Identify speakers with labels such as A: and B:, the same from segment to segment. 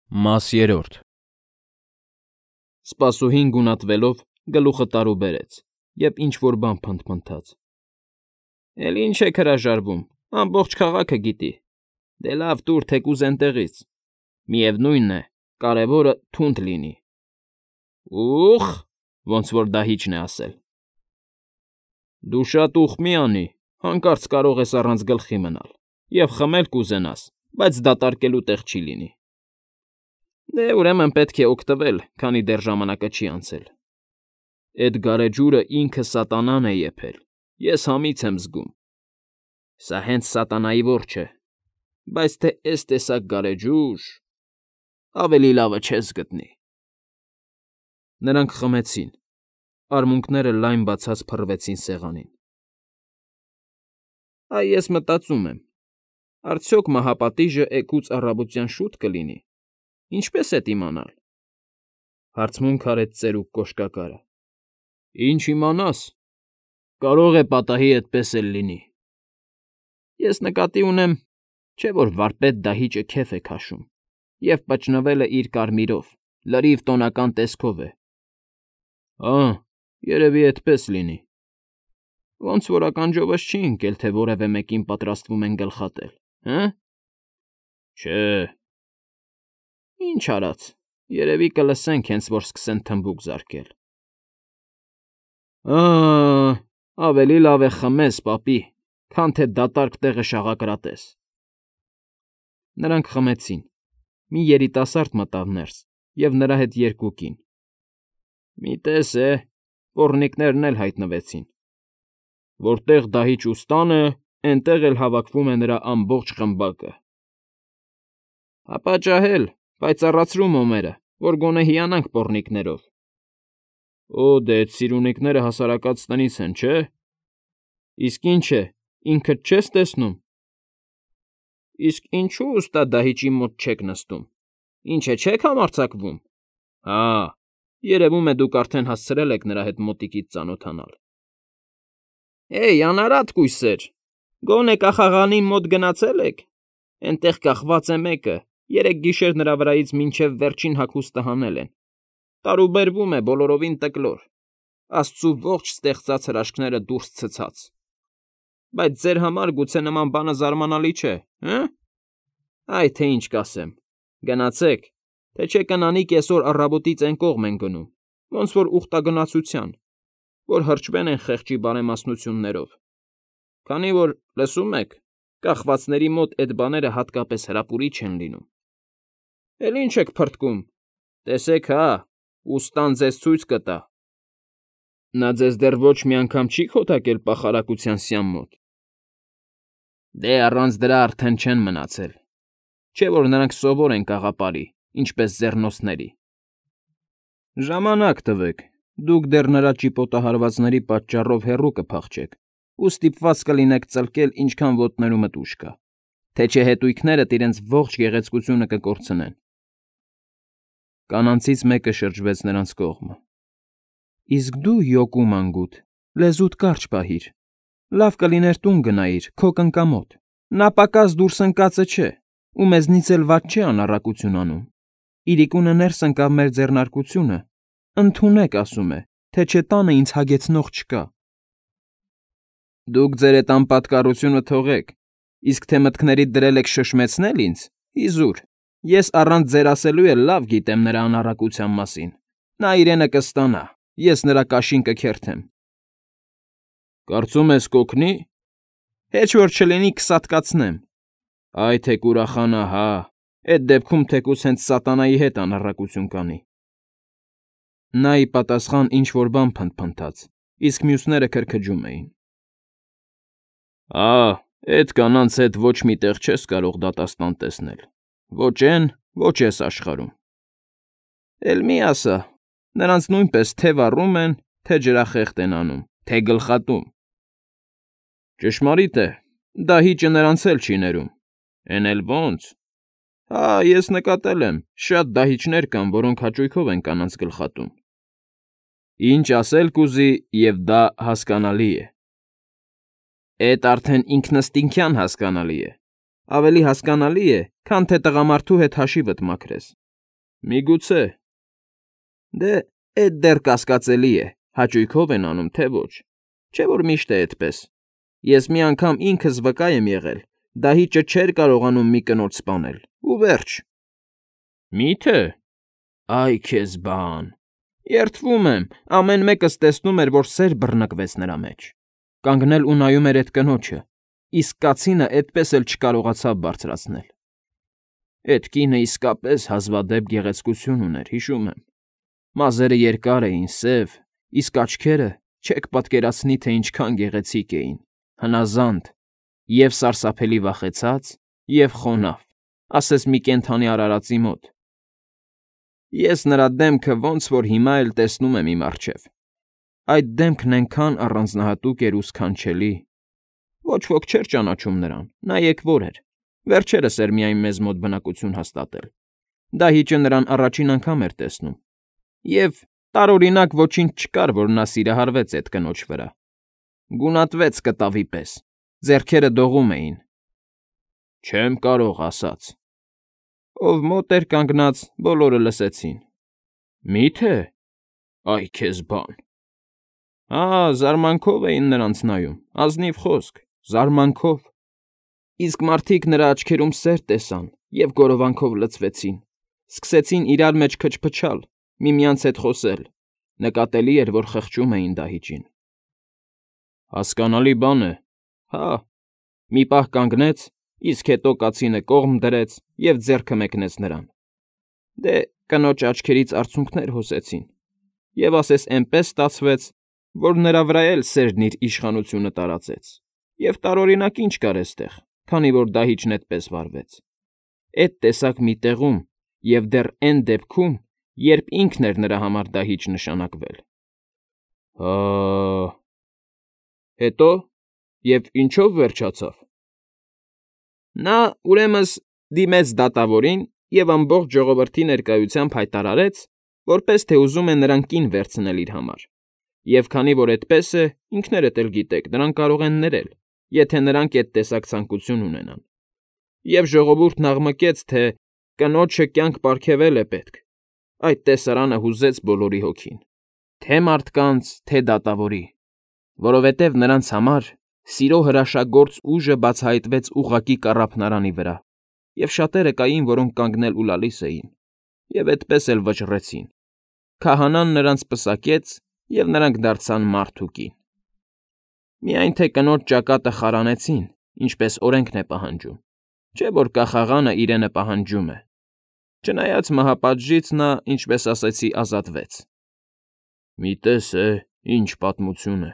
A: Մաս երրորդ Սպասուհին գունատվելով գլուխը տարուբերեց և ինչ֊որ բան փնթփնթաց։ ֊ Էլի ինչ եք հրաժարվում, ամբողջ քաղաքը գիտի, դե լավ տուր թեկուզ էնտեղից, միևնույն է, կարևորը թունդ լինի։ ֊ Ուխ, ոնց որ դահիճն է ասել։ ֊ Դու շատ ուխ մի անի, հանկարծ կարող ես առանց գլխի մնալ և խմել կուզենաս, բայց դատարկելու տեղ չի լինի։ Դե, ուրեմն պետք է օգտվել, քանի դեռ ժամանակը չի անցել։ Էդ գարեջուրը ինքը սատանան է եփել, ես համից եմ զգում։ Սա հենց սատանայի որջը, բայց թե էս տեսակ գարեջուր… ավելի լավը չես գտնի։ Նրանք խմեցին, արմունկները լայն բացած փռվեցին սեղանին։ Այ ես մտածում եմ, արդյոք մահապատիժը էգուց առավոտյան շուտ կլինի, ինչպե՞ս էդ իմանալ,֊ հարցմունք արեց ծերուկ կոշկակարը։ ֊ Ինչ իմանաս, կարող է պատահի էդպես էլ լինի։ Ես նկատի ունեմ, չէ՞ որ վարպետ դահիճը քեֆ է քաշում և պճնվել է իր կարմիրով, լրիվ տոնական տեսքով է։ ֊ Ա՜, երևի էդպես լինի։ Ոնց որ ականջովս չի ընկել, թե որևէ մեկին պատրաստվում են գլխատել, հը՞։ Չէ։ Ինչ արած, երևի կլսենք, հենց որ սկսեն թմբուկ զարկել։ Ա՜, ավելի լավ է խմես, պապի, քան թե դատարկ տեղը շաղակրատես։ Նրանք խմեցին, մի երիտասարդ մտավ ներս և նրա հետ երկու կին։ Մի տես է, պոռնիկներն էլ հայտնվեցին։ Որտեղ դահիճ ուստան է, էնտեղ էլ հավաքվում է նրա ամբողջ խմբակը։ Հապա ջահել, պայծառացրու մոմերը, որ գոնե հիանանք պոռնիկներով։ Օ, դե էդ սիրունիկները հասարակած տնից են, չէ՞։ Իսկ ինչ է, ինքդ չես տեսնում։ Իսկ ինչո՞ւ ուստա դահիճի մոտ չեք նստում, ինչ է, չեք համարձակվում։ Հա, երևում է դուք արդեն հասցրել եք նրա հետ մոտիկից ծանոթանալ։ Հեյ, անարատ կույսեր, գոնե կախաղանին մոտ գնացե՞լ եք։ Էնտեղ կախված է մեկը, երեք գիշեր նրա վրայից մինչև վերջին հագուստը հանել են։ Տարուբերվում է բոլորովին տկլոր, աստծու ողջ ստեղծած հրաշքները դուրս ցցած։ Բայց ձեր համար գուցե նման բանը զարմանալի չէ, հը՞։ Այ թե ինչ կասեմ, գնացեք, թե չէ կնանի կեսօր առավոտից էն կողմ են գնում, ոնց որ ուխտագնացության, որ հրճվեն են խեղճի բարեմասնություններով, քանի որ, լսում եք, կախվածների մոտ էդ բաները հատկապես հրապուրիչ են լինում։ Էլ ինչ եք փրթկում, տեսեք հա, ուստան ձեզ ցույց կտա։ Նա ձեզ դեռ ոչ մի անգամ չի խոթակել պախարակության սյան մոտ։ Դե առանց դրա արդեն չեն մնացել, չէ՞ որ նրանք սովոր են կաղապարի, ինչպես ձեռնոցների։ Ժամանակ տվեք, դուք դեռ նրա ճիպոտահարվածների պատճառով հեռու կփախչեք ու ստիպված կլինեք ծլկել, ինչքան ոտներումդ ուժ կա, թե չէ հետույքներդ իրենց ողջ գեղեցկությունը կկորցնեն։ Կանանցից մեկը շրջվեց նրանց կողմը։ Իսկ դու, յոկու մանգուտ, լեզուդ կարճ պահիր, լավ կլիներ տուն գնայիր, քո կնկամոտ, նա պակաս դուրս ընկածը չէ, ու մեզնից էլ վատ չէ անառակություն անում։ Իրիկունը ներս ընկավ մեր ձեռնարկությունը, ընդունեք, ասում է, թե չէ տանը ինձ հագեցնող չկա։ Դուք ձեր էդ անպատկառությունը թողեք, իսկ թե մտքներիդ դրել եք շշմեցնել ինձ, իզուր, ես առանց ձեր ասելու էլ լավ գիտեմ նրա անառակության մասին։ Նա իրենը կստանա, ես նրա կաշին կքերթեմ։ Կարծում ես կօգնի։ Հեչ որ չլինի կսատկացնեմ։ Այ թե կուրախանա, հա, էդ դեպքում թեկուզ հենց սատանայի հետ անառակություն կանի։ Նա ի պատասխան ինչ֊որ բան փնթփնթաց, իսկ մյուսները քրքջում էին։ Ա, էդ կանանց հետ ոչ մի տեղ չես կարող դատաստան տեսնել, ոչ էն, ոչ էս աշխարհում։ Էլ մի ասա, նրանց նույնպես թե վառում են, թե ջրախեղտ են անում, թե գլխատում։ Ճշմարիտ է, դահիճը նրանց էլ չի ներում։ Էն էլ ո՜նց։ Հա, ես նկատել եմ, շատ դահիճներ կան, որոնք հաճույքով են կանանց գլխատում։ Ինչ ասել կուզի, և դա հասկանալի է։ Էդ արդեն ինքնըստինքյան հասկանալի է։ Ավելի հասկանալի է, քան թե տղամարդու հետ հաշիվդ մաքրես, Միգուցե։ Դե, էդ դեռ կասկածելի է, հաճույքով են անում, թե ոչ, չէ՞ որ միշտ է այդպես։ Ես մի անգամ ինքս վկա եմ եղել, դահիճը չէր կարողանում մի կնոջ սպանել, ու վերջ։ Մի՞թե։ Այ քեզ բան։ Երդվում եմ, ամեն մեկս տեսնում էր, որ սեր բռնկվեց նրա մեջ։ Կանգնել ու նայում էր այդ կնոջը, իսկ կացինը այդպես էլ չկարողացավ բարձրացնել։ Էդ կինը իսկապես հազվադեպ գեղեցկություն ուներ, հիշում եմ։ Մազերը երկար էին, սև, իսկ աչքերը չեք պատկերացնի, թե ինչքան գեղեցիկ էին, հնազանդ, և սարսափելի վախեցած, և խոնավ, ասես մի կենդանի արարածի մոտ։ Ես նրա դեմքը ոնց որ հիմա էլ տեսնում եմ իմ առջև։ Այդ դեմքն այնքան առանձնահատուկ էր ու սքանչելի։ Ոչ ոք չէր ճանաչում նրան, նայեք որ էր։ Վերջերս էր միայն մեզ մոտ բնակություն հաստատել։ Դահիճը նրան առաջին անգամ էր տեսնում։ Եվ տարօրինակ ոչինչ չկար, որ նա սիրահարվեց այդ կնոջ վրա։ Գունատվեց կտավի պես, ձեռքերը դողում էին։ Չեմ կարող ասած։ Ով մոտ էր կանգնած, բոլորը լսեցին։ Մի՞թե։ Այ քեզ բան։ Զարմանքով էին նրանց նայում, ազնիվ խոսք, զարմանքով։ Իսկ մարդիկ նրա աչքերում սեր տեսան և գորովանքով լցվեցին, սկսեցին իրար մեջ քչփչալ, միմյանց հետ խոսել, նկատելի էր, որ խղճում էին դահիճին։ Հասկանալի բան է, հա։ Մի պահ կանգնեց, իսկ հետո կացինը կողմ դրեց և ձեռքը մեկնեց նրան։ Դե, կնոջ աչքերից արցունքներ հոսեցին, և ասես էնպես ստացվեց, որ նրա վրա էլ սերն իր իշխանությունը տարածեց, և տարօրինակ ինչ կար էստեղ, քանի որ դահիճն էդպես վարվեց։ Էդ տեսակ մի տեղում և դեռ էն դեպքում, երբ ինքն էր նրա համար դահիճ նշանակվել։ Հետո, և ինչո՞վ վերջացավ։ Նա, ուրեմն, դիմեց դատավորին և ամբողջ ժողովրդի ներկայությամբ հայտարարեց, որպես թե ուզում է նրան կին վերցնել իր համար, և քանի որ այդպես է, ինքներդ էլ գիտեք, նրան կարող են ներել, եթե նրանք այդ տեսակ ցանկություն ունենան։ Եվ ժողովուրդն աղմկեց, թե կնոջը կյանք պարգևել է պետք։ Այդ տեսարանը հուզեց բոլորի հոգին, թե՛ մարդկանց, թե՛ դատավորի, որովհետև նրանց համար սիրո հրաշագործ ուժը բացահայտվեց ուղղակի կառափնարանի վրա, և շատերը կային, որոնք կանգնել ու լալիս էին, և էդպես էլ վճռեցին։ Քահանան նրանց պսակեց, և նրանք դարձան մարդ ու կին։ Միայն թե կնոջ ճակատը խարանեցին, ինչպես օրենքն է պահանջում, չէ՞ որ կախաղանը իրենը պահանջում է։ Չնայած մահապատժից նա, ինչպես ասեցի, ազատվեց։ Մի տես ինչ պատմություն է։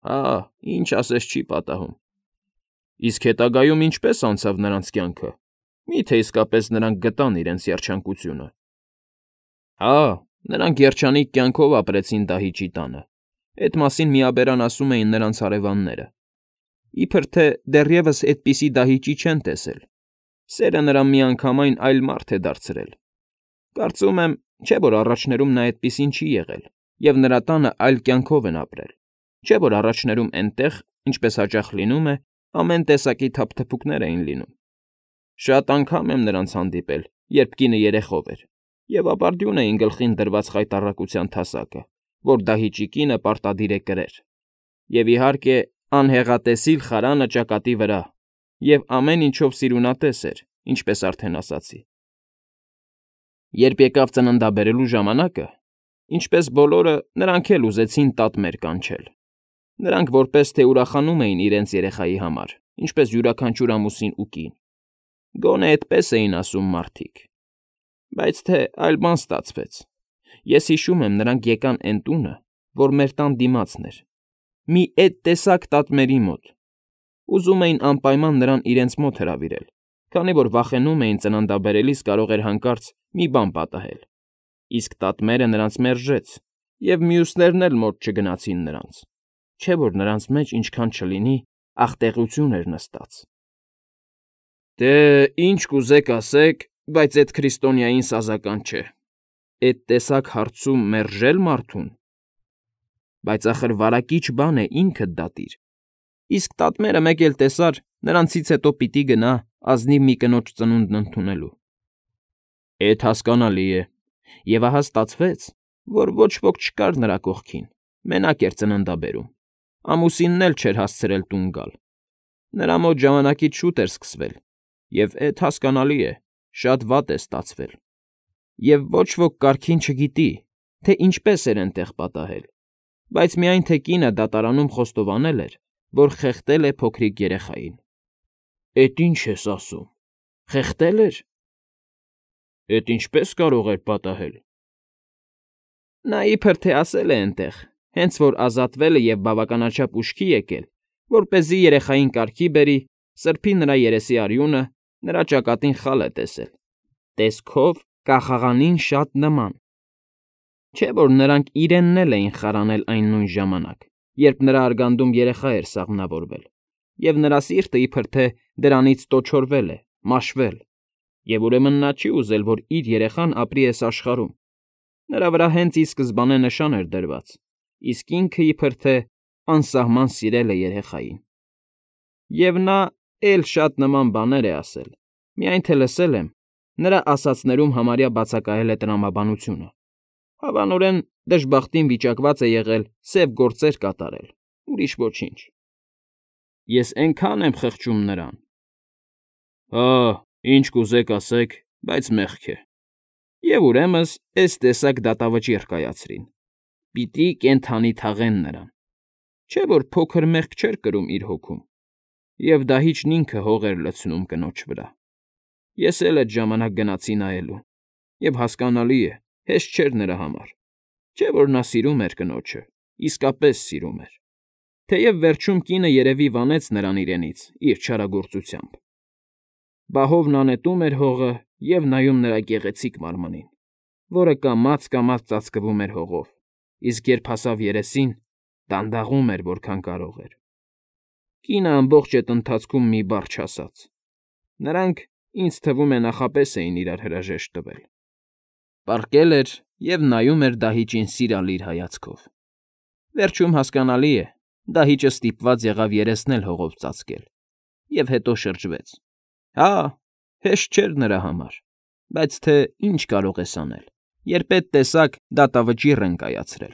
A: Ինչ ասես չի պատահում։ Իսկ հետագայում ինչպե՞ս անցավ նրանց կյանքը։ Մի՞թե իսկապես նրանք գտան իրենց երջանկությունը։ Նրանք երջանիկ կյանքով ապրեցին դահիճի տանը։ Էդ մասին միաբերան ասում էին նրանց հարևանները։ Իբր թե դեռևս այդպիսի դահիճի չեն տեսել։ Սերը նրան միանգամայն այլ մարդ է դարձրել։ Կարծում եմ, չէ՞ որ առաջներում նա այդպիսին չի եղել, և նրա տանը այլ կյանքով են ապրել։ Չէ՞ որ առաջներում էնտեղ, ինչպես հաճախ լինում է, ամեն տեսակի թափթփուկներ էին լինում։ Շատ անգամ եմ նրանց հանդիպել, երբ կինը երեխով էր, և ապարդյուն էին գլխին դրված խայտառակության թասակը, որ դահիճի կինը պարտադիր է կրեր, և, իհարկե, անհեղատեսիլ խարանը ճակատի վրա, և ամեն ինչով սիրունատես էր, ինչպես արդեն ասացի։ Երբ եկավ ծննդաբերելու ժամանակը, ինչպես բոլորը, նրանք էլ ուզեցին տատմեր կանչել։ Նրանք որպես թե ուրախանում էին իրենց երեխայի համար, ինչպես յուրաքանչյուր ամուսին ու կին։ Գոնե այդպես էին ասում մարդիկ։ Բայց թե այլ բան ստացվեց։ Ես հիշում եմ, նրանք եկան էն տունը, որ մեր տան դիմացն էր, մի էդ տեսակ տատմերի մոտ։ Ուզում էին անպայման նրան իրենց մոտ հրավիրել, քանի որ վախենում էին ծննդաբերելիս կարող էր հանկարծ մի բան պատահել։ Իսկ տատմերը նրանց մերժեց, և մյուսներն էլ մոտ չգնացին նրանց, չէ՞ որ նրանց մեջ ինչքան չլինի աղտեղություն էր նստած։ Դե, ինչ կուզեք ասեք, բայց էդ քրիստոնյային սազական չէ։ Էդ տեսակ հարցում մերժել մարդուն։ Բայց ախր վարակիչ բան է, ինքդ դատիր։ Իսկ տատմերը մեկ էլ տեսար, նրանցից հետո պիտի գնա ազնիվ մի կնոջ ծնունդն ընդունելու։ Էդ հասկանալի է։ Եվ ահա ստացվեց, որ ոչ ոք չկար նրա կողքին, մենակ էր ծննդաբերում, ամուսինն էլ չէր հասցրել տուն գալ։ Նրա մոտ ժամանակից շուտ էր սկսվել, և էդ հասկանալի է, շատ վատ է ստացվել։ Եվ ոչ ոք կարգին չգիտի, թե ինչպես էր էնտեղ պատահել, բայց միայն թե կինը դատարանում խոստովանել էր, որ խեղդել է փոքրիկ երեխային։ Էդ ինչ ես ասում, խեղդել էր։ Էդ ինչպես կարող էր պատահել։ Նա իբր թե ասել է էնտեղ, հենց որ ազատվել է և բավականաչափ ուշքի եկել, որպեսզի երեխային կարգի բերի, սրբի նրա երեսի արյունը, նրա ճակատին խալ է տեսել, տեսքով կախաղանին շատ նման։ Չէ՞ որ նրանք իրենն էլ էին խարանել այն նույն ժամանակ, երբ նրա արգանդում երեխա էր սաղմնավորվել, և նրա սիրտը իբր թե դրանից տոչորվել է, մաշվել, և ուրեմն նա չի ուզել, որ իր երեխան ապրի էս աշխարհում։ Նրա վրա հենց ի սկզբանե նշան էր դրված, իսկ ինքը իբր թե անսահման սիրել է երեխային։ Եվ նա էլ շատ նման բաներ է ասել, միայն թե լսել եմ, նրա ասածներում համարյա բացակայել է տրամաբանությունը։ Հավանորեն դժբախտին վիճակված է եղել սև գործեր կատարել, ուրիշ ոչինչ։ Ես էնքան եմ խղճում նրան։ Հա, ինչ կուզեք ասեք, բայց մեղք է։ Եվ ուրեմն էս տեսակ դատավճիռ կայացրին։ Պիտի կենդանի թաղեն նրան։ Չէ՞ որ փոքր մեղք չէր կրում իր հոգում, և դահիճն ինքը հող էր լցնում կնոջ վրա։ Ես էլ էդ ժամանակ գնացի նայելու, և հասկանալի է, հեշտ չէր նրա համար։ Չէ՞ որ նա սիրում էր կնոջը, իսկապես սիրում էր։ Թեև վերջում կինը երևի վանեց նրան իրենից իր չարագործությամբ։ Բահովն անետում էր հողը և նայում նրա գեղեցիկ մարմնին, որը կամաց֊կամաց ծածկվում էր հողով, իսկ երբ հասավ երեսին, դանդաղում էր, որքան կարող էր։ Կինը ամբողջ էդ ընթացքում մի բառ չասաց։ Նրանք, ինձ թվում է, նախապես էին իրար հրաժեշտ տվել։ Պառկել էր և նայում էր դահիճին սիրալիր հայացքով։ Վերջում հասկանալի է, դահիճը ստիպված եղավ երեսն էլ հողով ծածկել, և հետո շրջվեց։ Հա, հեշտ չէր նրա համար, բայց թե ինչ կարող ես անել, երբ էդ տեսակ դատավճիռ են կայացրել։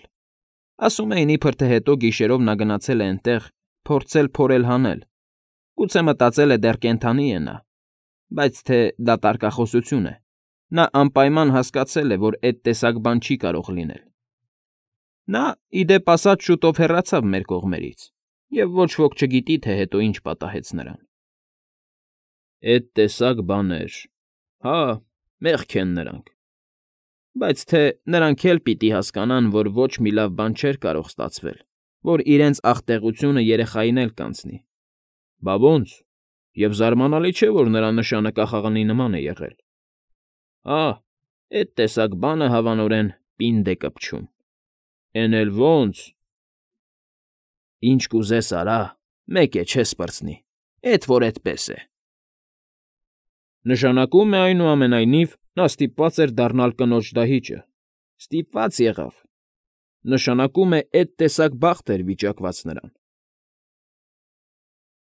A: Ասում էին, իբր թե հետո գիշերով նա գնացել է էնտեղ, փորձել փորել հանել, գուցե մտածել է դեռ կենդանի է նա, բայց թե դա տարկախոսություն է, նա անպայման հասկացել է, որ էդ տեսակ բան չի կարող լինել։ Նա, ի դեպ ասած, շուտով հեռացավ մեր կողմերից, և ոչ ոք չգիտի, թե հետո ինչ պատահեց նրան։ Էդ տեսակ բաներ… Հա, մեղք են նրանք։ Բայց թե նրանք էլ պիտի հասկանան, որ ոչ մի լավ բան չէր կարող ստացվել, որ իրենց ախտեղությունը երեխային էլ կանցնի։ Բա ո՞նց, և զարմանալի չէ, որ նրա նշանը կախաղանի նման է եղել։ Ահ, էդ տեսակ բանը հավանորեն պինդ է կպչում։ Էն էլ ո՜նց… Ինչ կուզես արա, մեկ է, չես պրծնի, էդ որ էդպես է։ Նշանակում է, այնուամենայնիվ, նա ստիպված էր դառնալ կնոջ դահիճը։ Ստիպված եղավ։ Նշանակում է, էդ տեսակ բախտ էր վիճակված նրան։